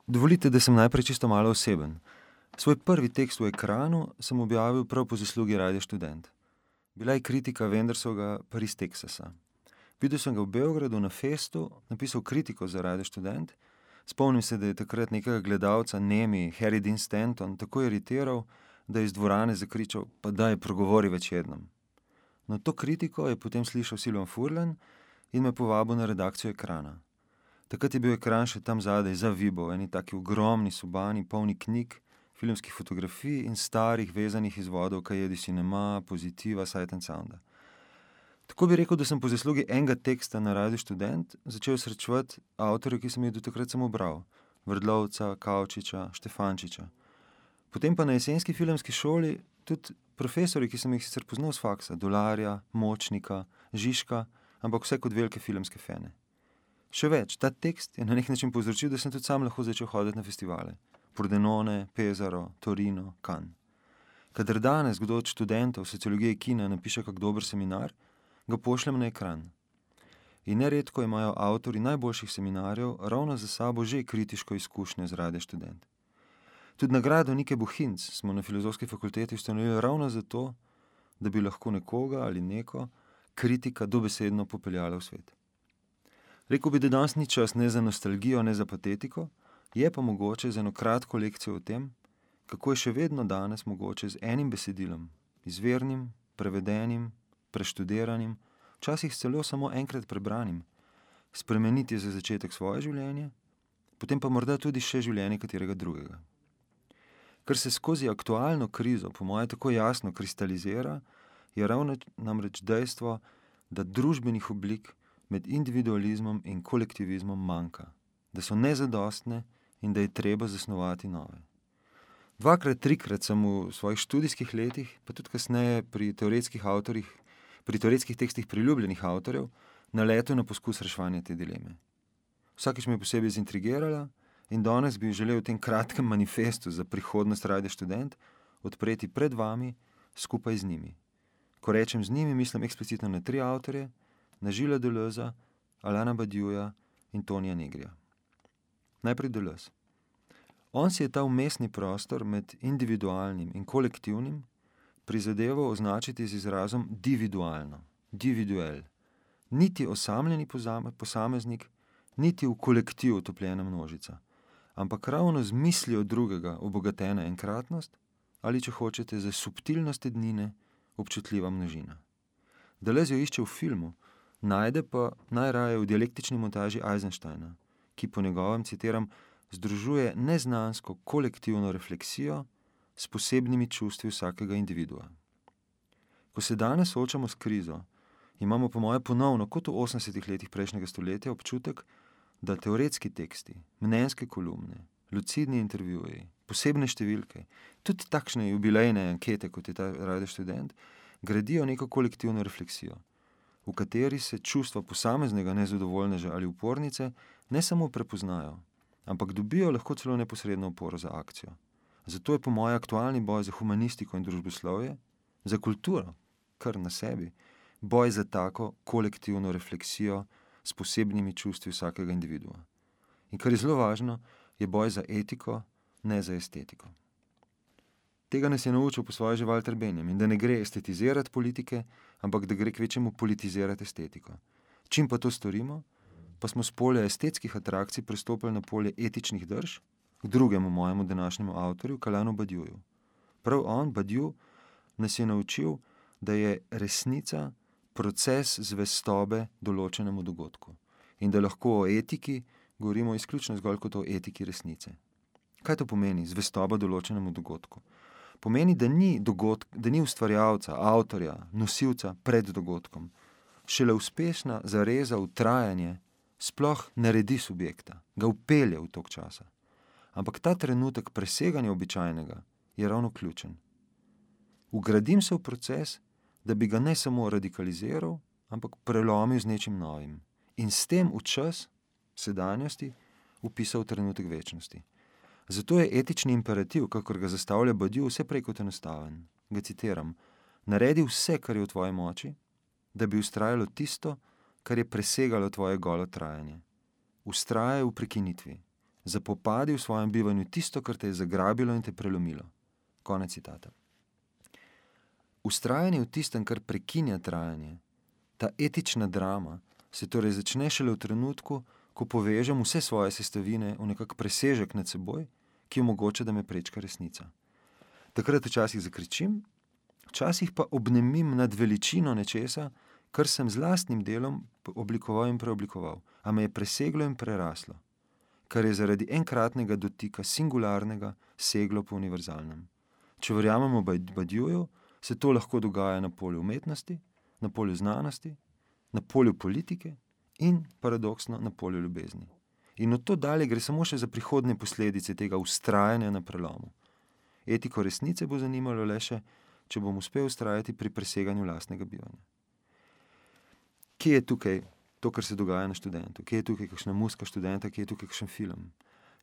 Dovolite, da sem najprej čisto malo oseben. Svoj prvi tekst v Ekranu sem objavil prav po zaslugi Radia Študent. Bila je kritika Wendersovega Paris, Teksasa. Videl sem ga v Beogradu na festu, napisal kritiko za Radio Študent. Spomnim se, da je takrat nekega gledalca, nemi Harry Dean Stanton, tako iritiral, da je iz dvorane zakričal: "Pa daj, progovori več jednom." No, to kritiko je potem slišal Silvan Furlan in me povabil na redakcijo Ekrana. Takrat je bil Ekran še tam zadaj, za Vibo, eni taki ogromni sobani, polni knjig, filmskih fotografij in starih vezanih izvodov Kajedi Cinema, Pozitiva, Sight and Sounda. Tako bi rekel, da sem po zaslugi enega teksta na Radiu Študent začel srečevati avtorje, ki sem jih do takrat samo bral. Vrdlovca, Kavčiča, Štefančiča. Potem pa na jesenski filmski šoli tudi profesori, ki sem jih sicer poznal s faksa, Dolarja, Močnika, Žižka, ampak vse kot velike filmske fene. Še več, ta tekst je na nek način povzročil, da sem tudi sam lahko začel hoditi na festivale. Pordenone, Pesaro, Torino, Cannes. Kadar danes kdo od študentov sociologije kina napiše kak dober seminar, ga pošljem na Ekran. In neredko imajo avtorji najboljših seminarjev ravno za sabo že kritiško izkušnjo z Radia Študent. Tudi nagrado Nike Bohinc smo na Filozofski fakulteti ustanovili ravno zato, da bi lahko nekoga ali neko kritika dobesedno popeljala v svet. Rekel bi, da danes ni čas ne za nostalgijo, ne za patetiko, je pa mogoče z eno kratko lekcijo o tem, kako je še vedno danes mogoče z enim besedilom, izvirnim, prevedenim, preštudiranim, včasih celo samo enkrat prebranim, spremeniti za začetek svoje življenje, potem pa morda tudi še življenje katerega drugega. Kar se skozi aktualno krizo po moje tako jasno kristalizira, je ravno namreč dejstvo, da družbenih oblik med individualizmom in kolektivizmom manjka, da so nezadostne in da je treba zasnovati nove. 2-krat, 3-krat sem v svojih študijskih letih, pa tudi kasneje pri teoretskih tekstih priljubljenih avtorjev, naletel na poskus reševanja te dileme. Vsakič me je posebej zintrigirala in danes bi želel v tem kratkem manifestu za prihodnost Radia Študent odpreti pred vami skupaj z njimi. Ko rečem z njimi, mislim eksplicitno na 3 avtorje, na Gilesa Deleuza, Alana Badiouja in Tonija Negrija. Najprej Deleuze. On si je ta vmesni prostor med individualnim in kolektivnim prizadeval označiti z izrazom dividualno, dividuel. Niti osamljeni posameznik, niti v kolektiv utopljena množica, ampak ravno z mislijo drugega obogatena enkratnost ali, če hočete, za subtilnost ednine občutljiva množina. Deleuze jo išče v filmu, najde pa najraje v dialektični montaži Eisensteina, ki po njegovem, citiram, združuje neznansko kolektivno refleksijo s posebnimi čustvi vsakega individua. Ko se danes soočamo s krizo, imamo po moje ponovno, kot v 80. letih prejšnjega stoletja, občutek, da teoretski teksti, mnenjske kolumne, lucidni intervjuji, posebne številke, tudi takšne jubilejne ankete, kot je ta Radio Študent, gradijo neko kolektivno refleksijo, v kateri se čustva posameznega nezadovoljneža ali upornice ne samo prepoznajo, ampak dobijo lahko celo neposredno oporo za akcijo. Zato je po moje aktualni boj za humanistiko in družboslovje, za kulturo, kar na sebi, boj za tako kolektivno refleksijo s posebnimi čustvi vsakega individua. In kar je zelo važno, je boj za etiko, ne za estetiko. Tega nas je naučil po svoje že Walter Benjamin, da ne gre estetizirati politike, ampak da gre kvečemu politizirati estetiko. Čim pa to storimo, pa smo s polja estetskih atrakcij prestopili na polje etičnih drž k drugemu mojemu današnjemu avtorju, Alanu Badiouju. Prav on, Badiou, nas je naučil, da je resnica proces zvestobe določenemu dogodku in da lahko o etiki govorimo izključno zgolj kot o etiki resnice. Kaj to pomeni, zvestoba določenemu dogodku? Pomeni, da ni ustvarjalca, avtorja, nosilca pred dogodkom. Šele uspešna zareza v trajanje sploh naredi subjekta, ga vpelje v tok časa. Ampak ta trenutek preseganja običajnega je ravno ključen. Vgradim se v proces, da bi ga ne samo radikaliziral, ampak prelomil z nečim novim. In s tem v čas sedanjosti vpisal trenutek večnosti. Zato je etični imperativ, kakor ga zastavlja Badiou, vse prej kot enostaven. Ga citiram: naredi vse, kar je v tvoji moči, da bi vztrajalo tisto, kar je presegalo tvoje golo trajanje. Vztrajaj v prekinitvi. zapopadi v svojem bivanju tisto, kar te je zagrabilo in te prelomilo. Konec citata. Vztrajanje v tistem, kar prekinja trajanje, ta etična drama, se torej začne šele v trenutku, ko povežem vse svoje sestavine v nekak presežek nad seboj, ki omogoča, da me prečka resnica. Takrat včasih zakričim, včasih pa obnemim nad veličino nečesa, kar sem z lastnim delom oblikoval in preoblikoval, a me je preseglo in preraslo, kar je zaradi enkratnega dotika singularnega seglo po univerzalnem. Če verjamemo Badiouju, se to lahko dogaja na polju umetnosti, na polju znanosti, na polju politike in, paradoksno, na polju ljubezni. In od to dalje gre samo še za prihodnje posledice tega vztrajanja na prelomu. Etiko resnice bo zanimalo le še, če bom uspel vztrajati pri preseganju lastnega bivanja. Kje je tukaj to, kar se dogaja na študentu? Kje je tukaj kakšna muska študenta? Kje je tukaj kakšen film?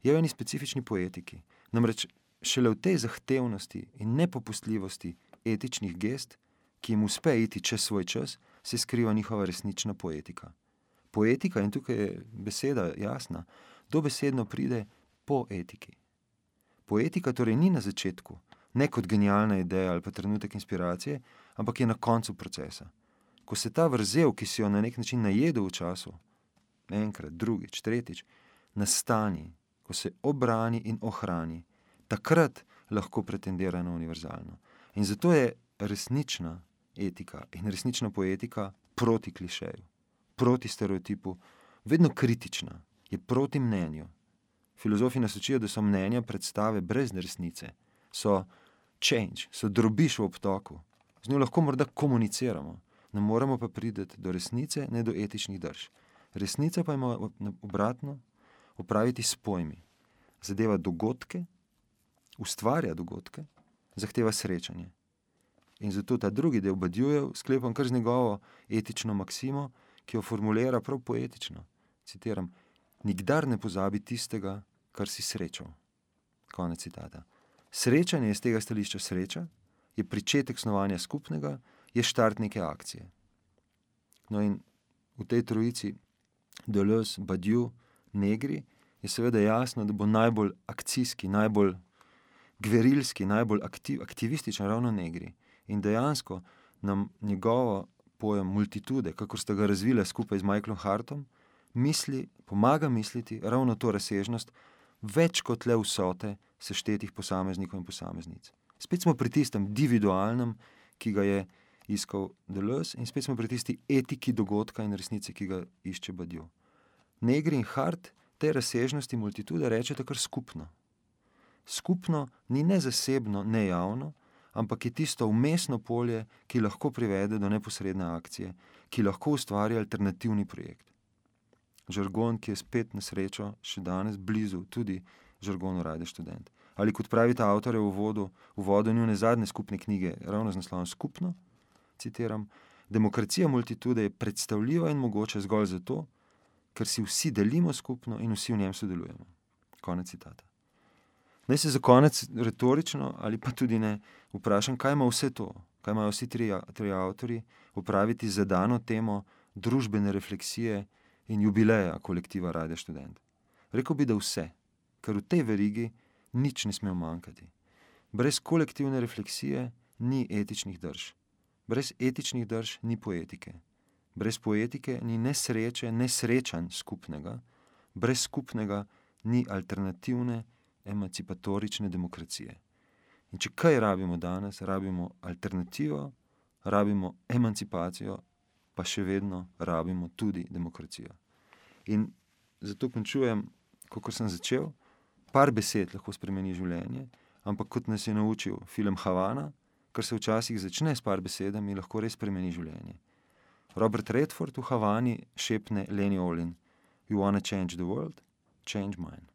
Je v eni specifični poetiki. Namreč šele v tej zahtevnosti in nepopustljivosti etičnih gest, ki jim uspe iti čez svoj čas, se skriva njihova resnična poetika. Poetika, in tukaj je beseda jasna, dobesedno pride po etiki. Poetika torej ni na začetku, ne kot genialna ideja ali pa trenutek inspiracije, ampak je na koncu procesa. Ko se ta vrzel, ki si jo na nek način najedel v času, enkrat, drugič, tretjič, nastani, ko se obrani in ohrani, takrat lahko pretendira na univerzalno. In zato je resnična etika in resnična poetika proti klišeju, proti stereotipu, vedno kritična, je proti mnenju. Filozofi nas učijo, da so mnenja predstave brez resnice, so change, so drobiš v obtoku, z njo lahko morda komuniciramo, ne moremo pa priti do resnice, ne do etičnih drž. Resnica pa ima obratno opraviti s pojmi. Zadeva dogodke, ustvarja dogodke, zahteva srečanje. In zato ta drugi del Badioujev sklepam kar z njegovo etično maksimo, ki jo formulira prav poetično. Citiram, nikdar ne pozabi tistega, kar si srečal. Konec citata. Srečanje je z tega stališča sreča, je pričetek snovanja skupnega, je štart neke akcije. No in v tej trojici Deleuze, Badiou, Negri je seveda jasno, da bo najbolj akcijski, najbolj gverilski, najbolj aktivističen ravno Negri. In dejansko nam njegovo pojem multitude, kakor sta ga razvila skupaj z Michaelom Hartom, pomaga misliti ravno to razsežnost več kot le vsote seštetih posameznikov in posameznic. Spet smo pri tistem individualnem, ki ga je iskal Deleuze, in spet smo pri tisti etiki dogodka in resnice, ki ga išče Badiou. Negri in Hart te razsežnosti multitude rečete kar skupno. Skupno ni ne zasebno, ne javno, ampak je tisto vmesno polje, ki lahko privede do neposredne akcije, ki lahko ustvari alternativni projekt. Žargon, ki je spet na srečo še danes blizu tudi žargonu Rajde študent. Ali kot pravita avtorja v uvodu njune zadnje skupne knjige, ravno z naslovom Skupno, citiram, demokracija multitude je predstavljiva in mogoče zgolj zato, ker si vsi delimo skupno in vsi v njem sodelujemo. Konec citata. Naj se za konec retorično ali pa tudi ne vprašam, kaj ima vse to, kaj imajo vsi tri avtorji opraviti z zadano temo družbene refleksije in jubileja kolektiva Rajde študent. Rekel bi, da vse, ker v tej verigi nič ne sme manjkati. Brez kolektivne refleksije ni etičnih drž. Brez etičnih drž ni poetike. Brez poetike ni ne sreče, ne srečanj skupnega. Brez skupnega ni alternativne, emancipatorične demokracije. In če kaj rabimo danes, rabimo alternativo, rabimo emancipacijo, pa še vedno rabimo tudi demokracijo. In zato končujem, kako sem začel, par besed lahko spremeni življenje, ampak kot nas je naučil film Havana, kar se včasih začne s par besedami, lahko res spremeni življenje. Robert Redford v Havani šepne Lenny Olin: You wanna change the world? Change mine.